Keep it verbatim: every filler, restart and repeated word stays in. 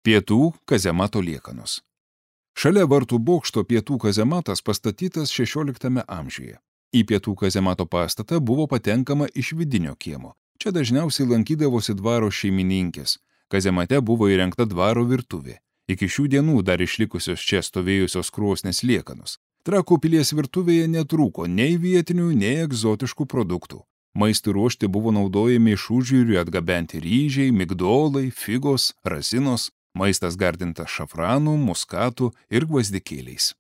Pietų kazemato liekanos. Šalia vartų bokšto pietų kazematas pastatytas šešioliktame amžiuje. Į pietų kazemato pastatą buvo patenkama iš vidinio kiemo. Čia dažniausiai lankydavosi dvaro šeimininkės. Kazemate buvo įrengta dvaro virtuvė. Iki šių dienų dar išlikusios čia stovėjusios krosnės liekanos. Trakų pilies virtuvėje netrūko nei vietinių, nei egzotiškų produktų. Maistui ruošti buvo naudojami iš užjūrių atgabenti ryžiai, migdolai, figos, rasinos, maistas gardintas šafranu, muskatu ir gvazdikėliais.